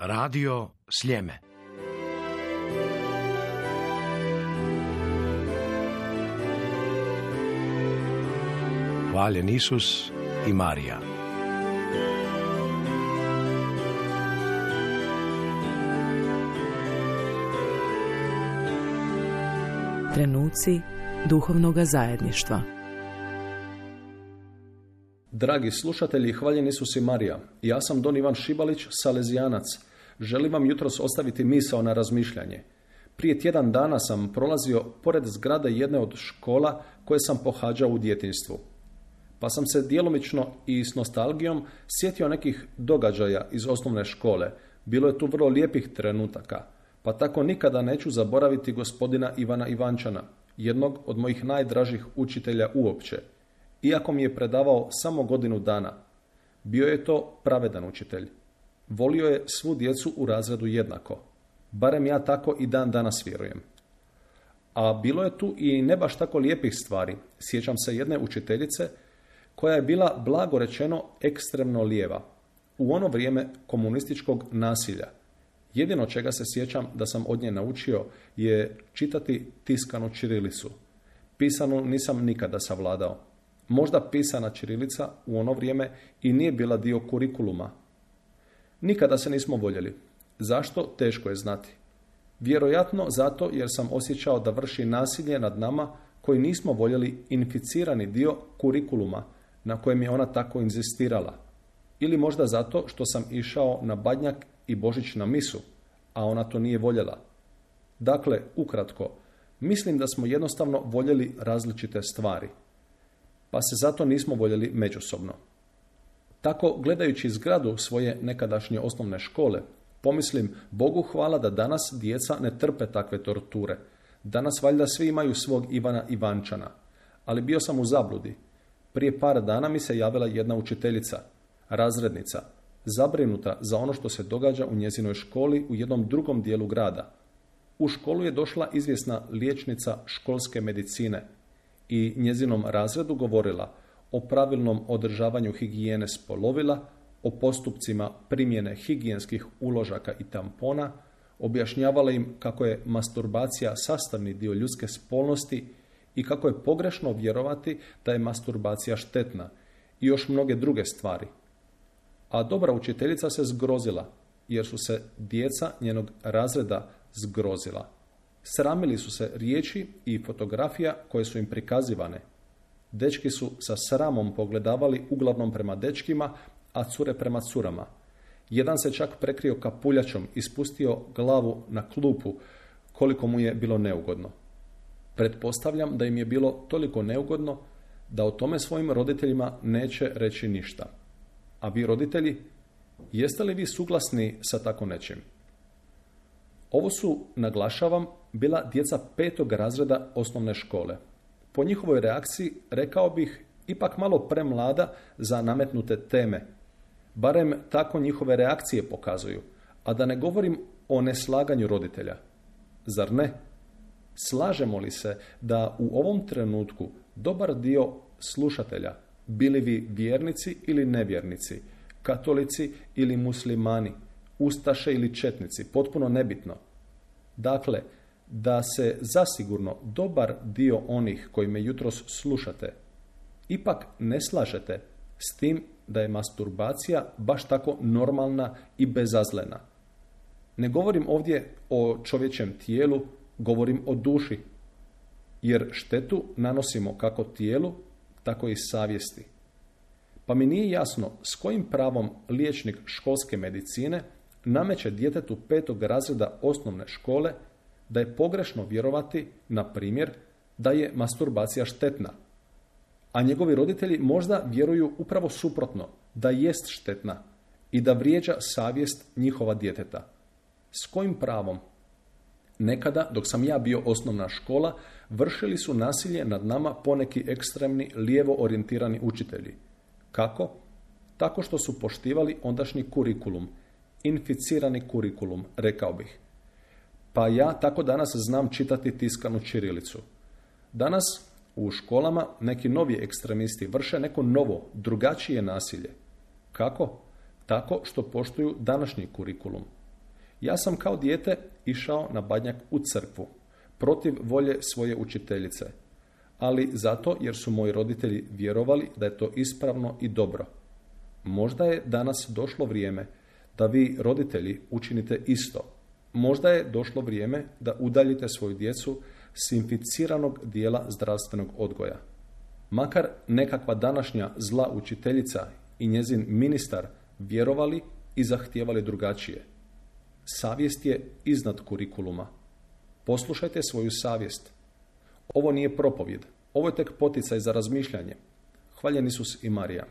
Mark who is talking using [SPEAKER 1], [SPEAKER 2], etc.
[SPEAKER 1] Radio Sljeme. Hvaljen Isus i Marija.
[SPEAKER 2] Trenuci duhovnoga zajedništva.
[SPEAKER 3] Dragi slušatelji, hvaljen Isus i Marija. Ja sam Don Ivan Šibalić, salezijanac. Želim vam jutros ostaviti misao na razmišljanje. Prije tjedan dana sam prolazio pored zgrade jedne od škola koje sam pohađao u djetinjstvu. Pa sam se djelomično i s nostalgijom sjetio nekih događaja iz osnovne škole. Bilo je tu vrlo lijepih trenutaka. Pa tako nikada neću zaboraviti gospodina Ivana Ivančana, jednog od mojih najdražih učitelja uopće. Iako mi je predavao samo godinu dana, bio je to pravedan učitelj. Volio je svu djecu u razredu jednako. Barem ja tako i dan danas vjerujem. A bilo je tu i ne baš tako lijepih stvari. Sjećam se jedne učiteljice koja je bila, blago rečeno, ekstremno lijeva. U ono vrijeme komunističkog nasilja. Jedino čega se sjećam da sam od nje naučio je čitati tiskanu ćirilicu. Pisanu nisam nikada savladao. Možda pisana ćirilica u ono vrijeme i nije bila dio kurikuluma. Nikada se nismo voljeli. Zašto? Teško je znati. Vjerojatno zato jer sam osjećao da vrši nasilje nad nama koji nismo voljeli inficirani dio kurikuluma na kojem je ona tako inzistirala. Ili možda zato što sam išao na Badnjak i Božić na misu, a ona to nije voljela. Dakle, ukratko, mislim da smo jednostavno voljeli različite stvari, pa se zato nismo voljeli međusobno. Tako, gledajući zgradu svoje nekadašnje osnovne škole, pomislim, Bogu hvala da danas djeca ne trpe takve torture. Danas valjda svi imaju svog Ivana Ivančana. Ali bio sam u zabludi. Prije par dana mi se javila jedna učiteljica, razrednica, zabrinuta za ono što se događa u njezinoj školi u jednom drugom dijelu grada. U školu je došla izvjesna liječnica školske medicine i njezinom razredu govorila o pravilnom održavanju higijene spolovila, o postupcima primjene higijenskih uložaka i tampona, objašnjavala im kako je masturbacija sastavni dio ljudske spolnosti i kako je pogrešno vjerovati da je masturbacija štetna i još mnoge druge stvari. A dobra učiteljica se zgrozila, jer su se djeca njenog razreda zgrozila. Sramili su se riječi i fotografija koje su im prikazivane. Dečki su sa sramom pogledavali uglavnom prema dečkima, a cure prema curama. Jedan se čak prekrio kapuljačom i spustio glavu na klupu, koliko mu je bilo neugodno. Pretpostavljam da im je bilo toliko neugodno da o tome svojim roditeljima neće reći ništa. A vi roditelji, jeste li vi suglasni sa tako nečim? Ovo su, naglašavam, bila djeca 5. razreda osnovne škole. Po njihovoj reakciji rekao bih ipak malo premlada za nametnute teme. Barem tako njihove reakcije pokazuju, a da ne govorim o neslaganju roditelja. Zar ne? Slažemo li se da u ovom trenutku dobar dio slušatelja, bili vi vjernici ili nevjernici, katolici ili muslimani, ustaše ili četnici, potpuno nebitno. Dakle, da se zasigurno dobar dio onih koji me jutros slušate ipak ne slažete s tim da je masturbacija baš tako normalna i bezazlena. Ne govorim ovdje o čovječjem tijelu, govorim o duši, jer štetu nanosimo kako tijelu, tako i savjesti. Pa mi nije jasno s kojim pravom liječnik školske medicine nameće djetetu 5. razreda osnovne škole da je pogrešno vjerovati, na primjer, da je masturbacija štetna. A njegovi roditelji možda vjeruju upravo suprotno, da jest štetna i da vrijeđa savjest njihova djeteta. S kojim pravom? Nekada, dok sam ja bio osnovna škola, vršili su nasilje nad nama poneki ekstremni, lijevo orijentirani učitelji. Kako? Tako što su poštivali ondašnji kurikulum, inficirani kurikulum, rekao bih. Pa ja tako danas znam čitati tiskanu ćirilicu. Danas u školama neki novi ekstremisti vrše neko novo, drugačije nasilje. Kako? Tako što poštuju današnji kurikulum. Ja sam kao dijete išao na Badnjak u crkvu, protiv volje svoje učiteljice, ali zato jer su moji roditelji vjerovali da je to ispravno i dobro. Možda je danas došlo vrijeme da vi, roditelji, učinite isto. Možda je došlo vrijeme da udaljite svoju djecu s inficiranog dijela zdravstvenog odgoja. Makar nekakva današnja zla učiteljica i njezin ministar vjerovali i zahtijevali drugačije. Savjest je iznad kurikuluma. Poslušajte svoju savjest. Ovo nije propovjed, ovo je tek poticaj za razmišljanje. Hvaljen Isus i Marija.